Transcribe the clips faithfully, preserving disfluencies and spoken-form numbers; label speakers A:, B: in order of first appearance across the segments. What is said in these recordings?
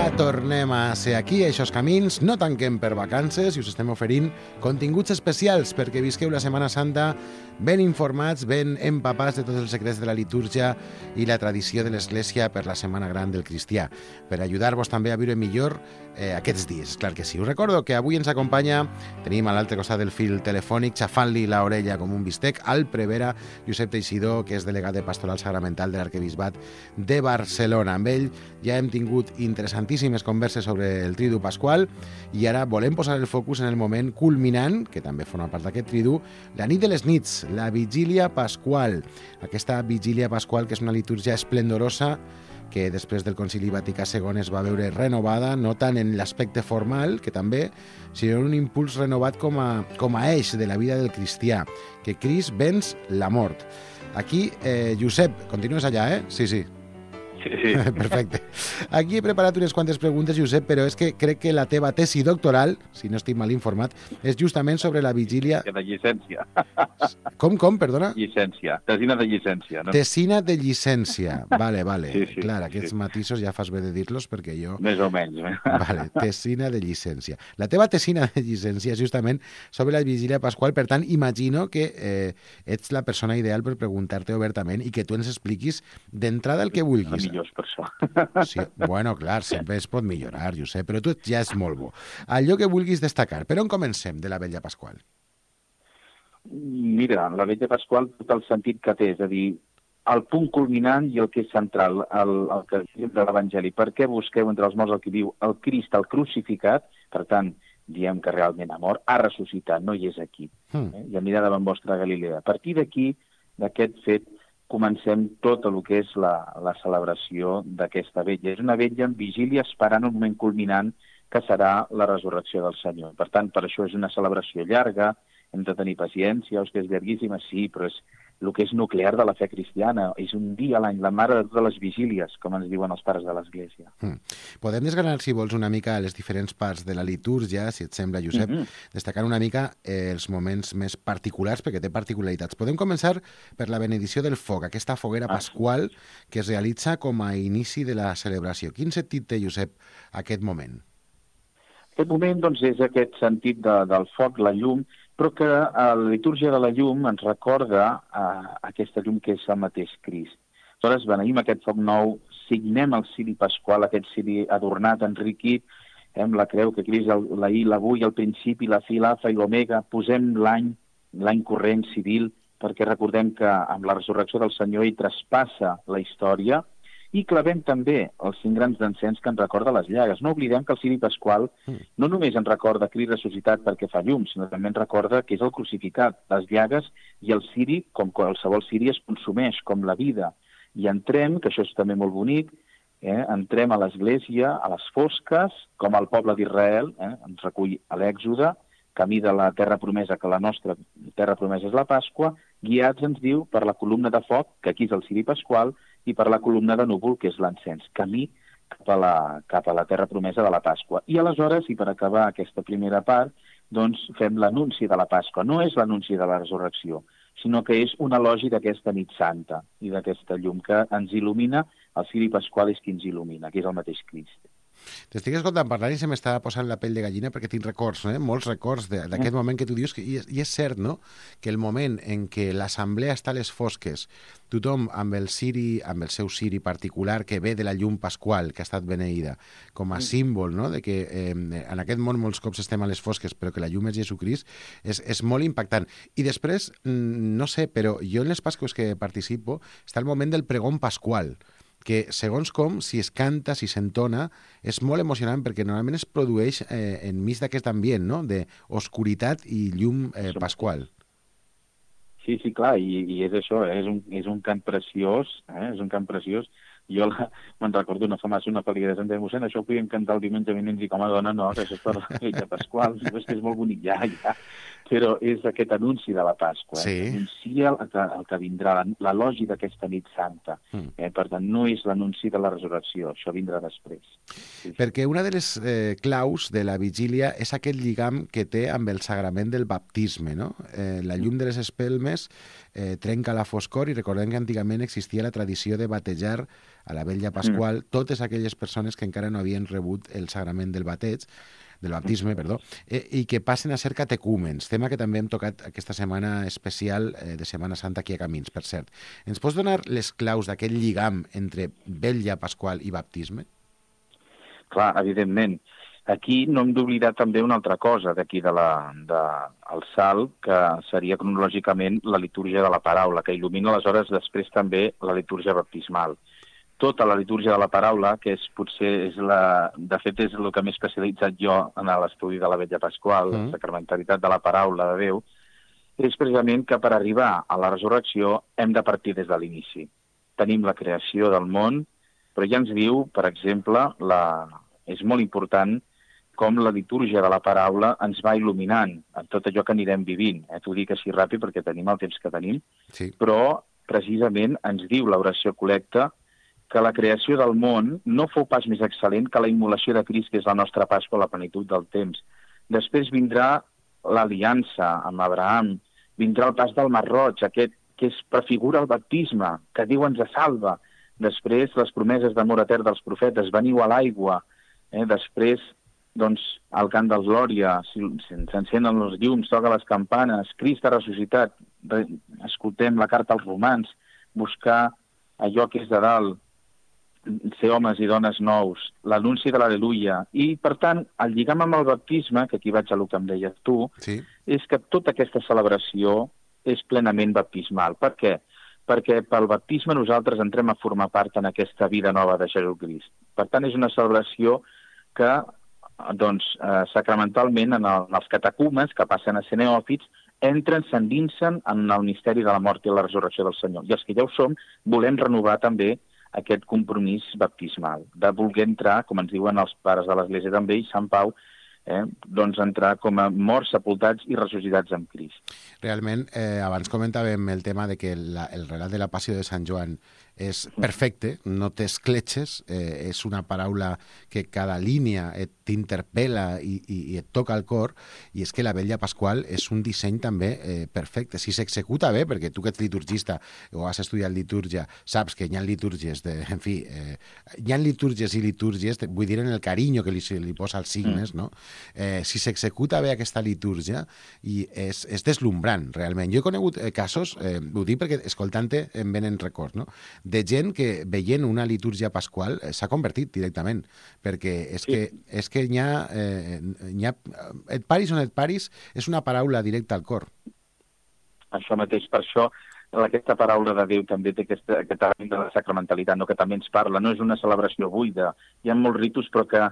A: Ja tornem a ser aquí, a Eixos Camins. No tanquem per vacances i us estem oferint continguts especials perquè visqueu la Setmana Santa ben informats, ben empapats de tots els secrets de la litúrgia i la tradició de l'Església per la Setmana Gran del Cristià, per ajudar-vos també a viure millor eh, aquests dies. Clar que sí. Us recordo que avui ens acompanya, tenim a l'altre costat del fil telefònic, xafant-li l'orella com un bistec, al prevere Josep Teixidor, que és delegat de Pastoral Sagramental de l'Arquebisbat de Barcelona. Amb ell ja hem tingut interessantíssimes converses sobre el Tridu Pasqual i ara volem posar el focus en el moment culminant, que també forma part d'aquest Tridu, la nit de les nits, la Vigília Pasqual. Aquesta Vigília Pasqual, que és una litúrgia esplendorosa que després del Concili Vaticà segon es va veure renovada, no tant en l'aspecte formal, que també, sinó en un impuls renovat com a, com a eix de la vida del cristià, que Crist venç la mort. Aquí, eh, Josep, continues allà, eh? Sí, sí.
B: Sí, sí.
A: Perfecte. Aquí he preparat unes quantes preguntes, Josep, però és que crec que la teva tesi doctoral, si no estic mal informat, és justament sobre la vigília...
B: De llicència.
A: Com, com, perdona?
B: Llicència. Tesina de llicència. No?
A: Tesina de llicència. Vale, vale.
B: Sí, sí,
A: Clar, aquests
B: sí.
A: matisos ja fas bé de dir-los perquè jo...
B: Més o menys. Eh?
A: Vale, tesina de llicència. La teva tesina de llicència és justament sobre la vigília pasqual, per tant, imagino que eh, ets la persona ideal per preguntar-te obertament i que tu ens expliquis d'entrada el que vulguis.
B: Millors per això.
A: Sí, bueno, clar, sempre es pot millorar, Josep, però tu ja és molt bo. Allò que vulguis destacar. Per on comencem de la Vetlla Pasqual?
B: Mira, la Vetlla Pasqual, tot el sentit que té, és a dir, el punt culminant i el que és central, el, el que diu de l'Evangeli. Per què busqueu entre els morts el que diu el Crist, el crucificat? Per tant, diem que realment ha mort, ha ressuscitat, no hi és aquí.
A: Mm.
B: Eh? I a mirar davant vostra Galilea. A partir d'aquí, d'aquest fet, comencem tot el que és la, la celebració d'aquesta vetlla. És una vetlla en vigília esperant un moment culminant que serà la resurrecció del Senyor. Per tant, per això és una celebració llarga, hem de tenir paciència, hòstia, és llarguíssima, sí, però és el que és nuclear de la fe cristiana. És un dia a l'any, la mare de totes les vigílies, com ens diuen els pares de l'Església.
A: Mm. Podem desgranar, si vols, una mica les diferents parts de la litúrgia, si et sembla, Josep, mm-hmm. destacant una mica eh, els moments més particulars, perquè té particularitats. Podem començar per la benedicció del foc, aquesta foguera
B: ah,
A: pasqual que es realitza com a inici de la celebració. Quin sentit té, Josep, aquest moment?
B: Aquest moment, doncs, és aquest sentit de, del foc, la llum, però que a la litúrgia de la llum ens recorda uh, aquesta llum que és el mateix Crist. Aleshores, beneïm aquest foc nou, signem el ciri pasqual, aquest ciri adornat, enriquit, eh, amb la creu que Crist, la I, l'avui, el principi, la fi, l'alfa i l'omega, posem l'any, l'any corrent civil, perquè recordem que amb la resurrecció del Senyor ell traspassa la història, i clavem també els cinc grans d'encens que ens recorda les llagues. No oblidem que el ciri pasqual no només ens recorda Crist ressuscitat perquè fa llum, sinó també ens recorda que és el crucificat, les llagues i el ciri, com qualsevol ciri, es consumeix, com la vida. I entrem, que això és també molt bonic, eh, entrem a l'Església, a les fosques, com el poble d'Israel, eh, ens recull a l'Èxode, camí de la terra promesa, que la nostra terra promesa és la Pasqua, guiats, ens diu, per la columna de foc, que aquí és el ciri pasqual, i per la columna de núvol, que és l'encens, camí cap a, la, cap a la terra promesa de la Pasqua. I aleshores, i per acabar aquesta primera part, doncs fem l'anunci de la Pasqua. No és l'anunci de la resurrecció, sinó que és un elogi d'aquesta nit santa i d'aquesta llum que ens il·lumina, el ciri pasqual és qui ens il·lumina, que és el mateix Crist.
A: T'estic escoltant parlar i se m'està posant la pell de gallina perquè tinc records, eh? molts records d'aquest mm. moment que tu dius, que, i, és, i és cert, no?, que el moment en què l'assemblea està a les fosques, tothom amb el ciri, amb el seu ciri particular que ve de la llum pasqual que ha estat beneïda, com a mm. símbol, no?, de que eh, en aquest món molts cops estem a les fosques, però que la llum és Jesucrist, és, és molt impactant. I després, no sé, però jo en les Pasques que participo, està el moment del pregón pasqual, que segons com, si es canta, si s'entona, és molt emocionant perquè normalment es produeix eh, enmig d'aquest ambient, no?, d'oscuritat i llum eh, pasqual.
B: Sí, sí, clar, i, i és això, eh? és, un, és un cant preciós, eh? és un cant preciós. Jo la, me'n recordo una fa massa una pel·lícula de Santa Mossèn, això ho podíem cantar el diumenge vinent i com a dona no, que això és per la Vetlla Pasqual, és que és molt bonic, ja, ja. però és aquest anunci de la Pasqua.
A: Sí.
B: Eh? Anuncia el que, el que vindrà, l'elogi d'aquesta nit santa. Mm. Eh? Per tant, no és l'anunci de la resurrecció, això vindrà després. Sí.
A: Perquè una de les eh, claus de la vigília és aquest lligam que té amb el sagrament del baptisme, no? Eh, la llum de les espelmes eh, trenca la foscor i recordem que antigament existia la tradició de batejar a la vetlla pasqual mm. totes aquelles persones que encara no havien rebut el sagrament del bateig, del baptisme, perdó, eh, i que passen a ser catecúmens, tema que també hem tocat aquesta setmana especial eh, de Setmana Santa aquí a Camins, per cert. Ens pots donar les claus d'aquest lligam entre vetlla pasqual i baptisme?
B: Clar, evidentment. Aquí no hem d'oblidar també una altra cosa d'aquí de la, de, el salt, que seria cronològicament la litúrgia de la paraula, que il·lumina aleshores després també la litúrgia baptismal. Tota la litúrgia de la paraula, que és potser és la, de fet és el que m'he especialitzat jo en l'estudi de la vetlla pasqual, mm. la sacramentalitat de la paraula de Déu, és precisament que per arribar a la resurrecció hem de partir des de l'inici. Tenim la creació del món, però ja ens diu, per exemple, la, és molt important com la litúrgia de la paraula ens va il·luminant en tot allò que anirem vivint. Eh? T'ho dic així ràpid perquè tenim el temps que tenim,
A: sí.
B: Però precisament ens diu l'oració col·lecta que la creació del món no fou pas més excel·lent que la immolació de Crist, que és la nostra Pasqua, la plenitud del temps. Després vindrà l'aliança amb Abraham, vindrà el pas del Mar Roig, aquest que es prefigura el baptisme, que Déu ens salva. Després, les promeses d'amor etern dels profetes, veniu a l'aigua. Eh? Després, doncs, al cant del Glòria, s'encenen els llums, toca les campanes, Crist ha ressuscitat, escoltem la carta als romans, buscar allò que és de dalt, ser homes i dones nous, l'anunci de l'Aleluia. I, per tant, el lligam amb el baptisme, que aquí vaig a el que em deies tu,
A: sí.
B: És que tota aquesta celebració és plenament baptismal. Per què? Perquè pel baptisme nosaltres entrem a formar part en aquesta vida nova de Jesucrist. Per tant, és una celebració que, doncs, eh, sacramentalment, en, el, en els catecúmens, que passen a ser neòfits, entren, s'endinsen en el misteri de la mort i la resurrecció del Senyor. I els que ja ho som, volem renovar també aquest compromís baptismal, de voler entrar, com ens diuen els pares de l'Església també, i Sant Pau, eh, doncs entrar com a morts, sepultats i ressuscitats amb Crist.
A: Realment, eh, abans comentàvem el tema de que la, el relat de la Passió de Sant Joan és perfecte, no té escletxes, eh, és una paraula que cada línia t'interpel·la i, i, i et toca el cor, i és que la vetlla pasqual és un disseny també eh, perfecte. Si s'executa bé, perquè tu que ets liturgista o has estudiat litúrgia, saps que hi ha litúrgies, de, en fi, eh, hi ha litúrgies i litúrgies, vull dir en el carinyo que li, li posa als signes, mm. no? Eh, si s'executa bé aquesta litúrgia, i és, és deslumbrant, realment. Jo he conegut eh, casos, eh, ho dic perquè escoltant-te em venen records, no?, de gent que veient una litúrgia pasqual eh, s'ha convertit directament, perquè és que, és que hi ha, eh, hi ha... Et paris on et paris és una paraula directa al cor.
B: Això mateix, per això aquesta paraula de Déu també té aquesta, aquest element de la sacramentalitat, no? Que també ens parla, no és una celebració buida, hi ha molts ritus però que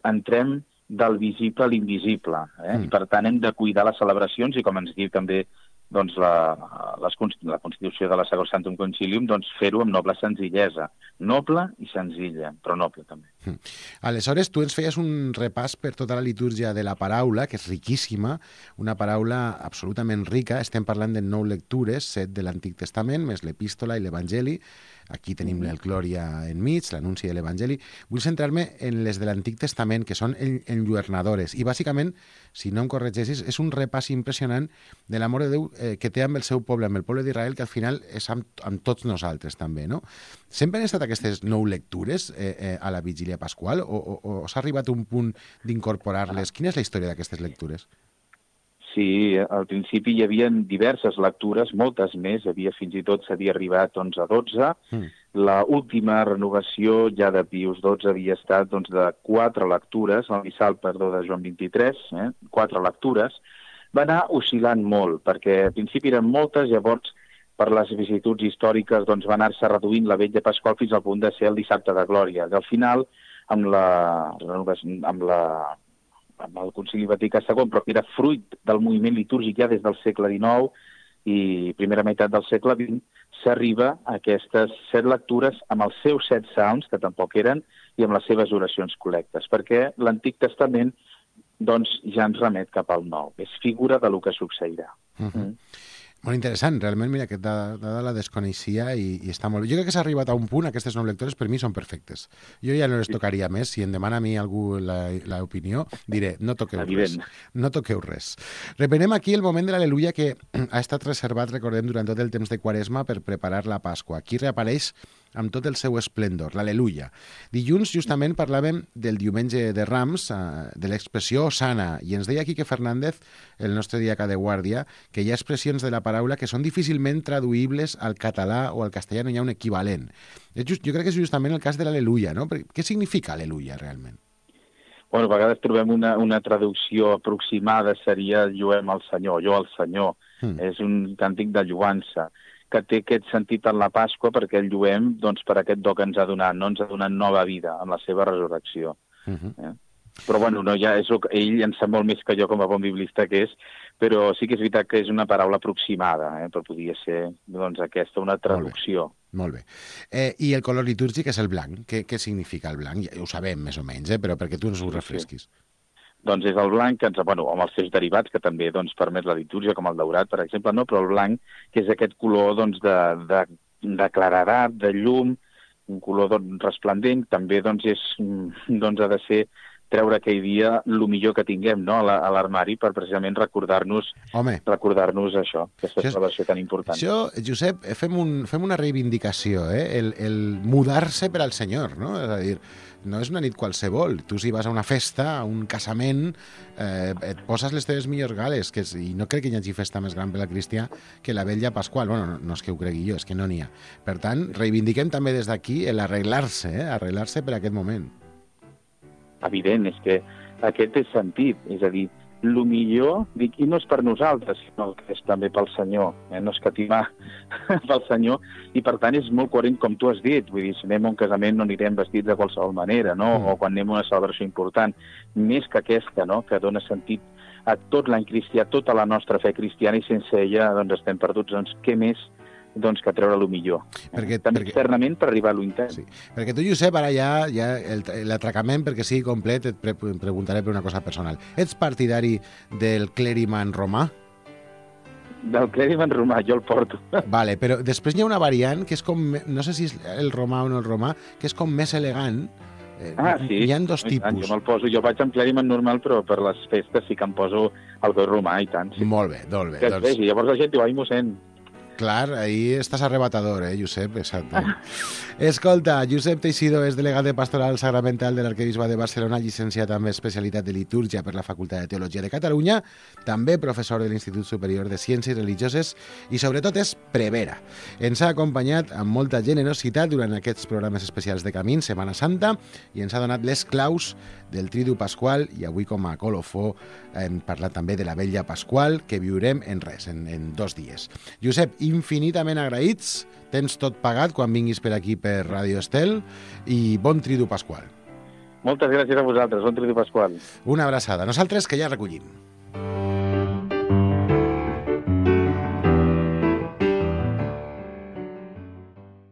B: entrem del visible a l'invisible, eh? Mm. I per tant hem de cuidar les celebracions i com ens diu també doncs la, les, la Constitució de la Sacrosanctum Concilium, doncs fer-ho amb noble senzillesa. Noble i senzilla, però noble també.
A: Mm. Aleshores, tu ens feies un repàs per tota la litúrgia de la paraula, que és riquíssima, una paraula absolutament rica. Estem parlant de nou lectures, set de l'Antic Testament, més l'Epístola i l'Evangeli. Aquí tenim el Glòria enmig, l'anunci de l'Evangeli. Vull centrar-me en les de l'Antic Testament, que són enlluernadores. I, bàsicament, si no em corregeixis, és un repàs impressionant de l'amor de Déu eh, que té amb el seu poble, amb el poble d'Israel, que al final és amb, amb tots nosaltres, també, no? Sempre han estat aquestes nou lectures eh, eh, a la vigília pasqual o, o, o s'ha arribat a un punt d'incorporar-les? Quina és la història d'aquestes lectures?
B: Sí, al principi hi havia diverses lectures, moltes més, havia fins i tot s'havia arribat doncs, a dotze. Mm. La última renovació ja de Pius dotze havia estat doncs, de quatre lectures, el missal, perdó, de Joan vint-i-tres, eh? quatre lectures. Va anar oscil·lant molt, perquè al principi eren moltes, llavors per les vicissituds històriques doncs, va anar-se reduint la vetlla pasqual fins al punt de ser el dissabte de Glòria. I al final, amb la, amb la amb el Concili Vaticà segon, però que era fruit del moviment litúrgic ja des del segle dinou i primera meitat del segle vint, s'arriba a aquestes set lectures amb els seus set salms, que tampoc eren, i amb les seves oracions col·lectes, perquè l'Antic Testament doncs ja ens remet cap al nou. És figura de lo que succeirà.
A: Uh -huh. mm. Molt interessant, realment, mira, aquesta dada la desconeixia i, i està molt bé. Jo crec que s'ha arribat a un punt, aquestes nou lectores per mi són perfectes. Jo ja no les tocaria més, si em demana a mi algú l'opinió, diré, no toqueu
B: Evident.
A: res. No toqueu res. Reprenem aquí el moment de l'Al·leluia que ha estat reservat, recordem, durant tot el temps de Quaresma per preparar la Pasqua. Aquí reapareix amb tot el seu esplendor, l'Al·leluia. Dilluns, justament, parlàvem del diumenge de Rams, de l'expressió Osana, i ens deia Quique Fernández, el nostre diaca de guàrdia, que hi ha expressions de la paraula que són difícilment traduïbles al català o al castellà, no hi ha un equivalent. Just, jo crec que és justament el cas de l'Al·leluia, no? Què significa Al·leluia, realment?
B: Bueno, a vegades trobem una, una traducció aproximada, seria lluem al Senyor, jo al Senyor. Mm. És un càntic de lluança, que té aquest sentit en la Pasqua perquè el lluem doncs, per aquest do que ens ha donat, no? Ens ha donat nova vida en la seva resurrecció. Uh-huh. eh? Però bueno, no, ja és, ell en sap molt més que jo com a bon biblista que és, però sí que és veritat que és una paraula aproximada, eh? Però podria ser doncs, aquesta una traducció.
A: Molt bé. Molt bé. Eh, I el color litúrgic és el blanc. Què, què significa el blanc? Ja ho sabem més o menys, eh? Però perquè tu ens ho refresquis.
B: Sí. Doncs és el blanc, que ens, bueno, amb els seus derivats, que també doncs, permet la litúrgia, com el daurat, per exemple, no? Però el blanc, que és aquest color doncs, de, de, de claredat, de llum, un color doncs, resplendent, també doncs, és, doncs, ha de ser treure aquell dia el millor que tinguem, no? a l'armari per precisament recordar-nos recordar-nos això, aquesta això, celebració tan important.
A: Això, Josep, fem, un, fem una reivindicació, eh? el, el mudar-se per al Senyor, no? És a dir, no és una nit qualsevol. Tu si vas a una festa, a un casament, eh, et poses les teves millors gales, que és, i no crec que hi hagi festa més gran per al cristià que la vetlla pasqual. Bueno, no, no és que ho cregui jo, és que no n'hi ha. Per tant, reivindiquem també des d'aquí l'arreglar-se, eh? arreglar-se per a aquest moment.
B: Evident, és que aquest té sentit, és a dir, el millor, dic, i no és per nosaltres, sinó que és també pel Senyor, eh? no escatimar pel Senyor, i per tant és molt coherent com tu has dit, vull dir, si anem a un casament no anirem vestits de qualsevol manera, no? Mm. O quan anem a una celebració important, més que aquesta, no? Que dona sentit a tot l'any cristià, tota la nostra fe cristiana, i sense ella doncs estem perduts, doncs què més doncs que treure el millor. Perquè, també perquè, externament per arribar a l'intern.
A: Sí. Perquè tu, Josep, ara ja, ja l'atracament, perquè sigui complet, et pre preguntaré per una cosa personal. Ets partidari del clèriman romà?
B: Del clèriman romà, jo el porto.
A: Vale, però després hi ha una variant que és com, no sé si és el romà o no el romà, que és com més elegant.
B: Ah, sí.
A: Hi ha dos tipus.
B: Jo me'l poso, jo vaig amb clèriman normal, però per les festes sí que em poso el goi romà i tant. Sí.
A: Molt bé, molt bé.
B: Que doncs... vegi, llavors la gent diu, ai, mossèn.
A: Clar, ahí estàs arrebatador, eh, Josep? Exacte. Escolta, Josep Teixido és delegat de Pastoral Sagramental de l'Arquebisbe de Barcelona, llicenciat amb especialitat de litúrgia per la Facultat de Teologia de Catalunya, també professor de l'Institut Superior de Ciències Religioses i, sobretot, és prevera. Ens ha acompanyat amb molta generositat durant aquests programes especials de Camins, Setmana Santa, i ens ha donat les claus del Tridu Pasqual, i avui, com a colofó, hem parlat també de la Vetlla Pasqual, que viurem en res, en, en dos dies. Josep, infinitament agraïts, tens tot pagat quan vinguis per aquí per Ràdio Estel, i bon Tridu Pasqual.
B: Moltes gràcies a vosaltres, bon Tridu Pasqual.
A: Una abraçada. Nosaltres que ja recollim.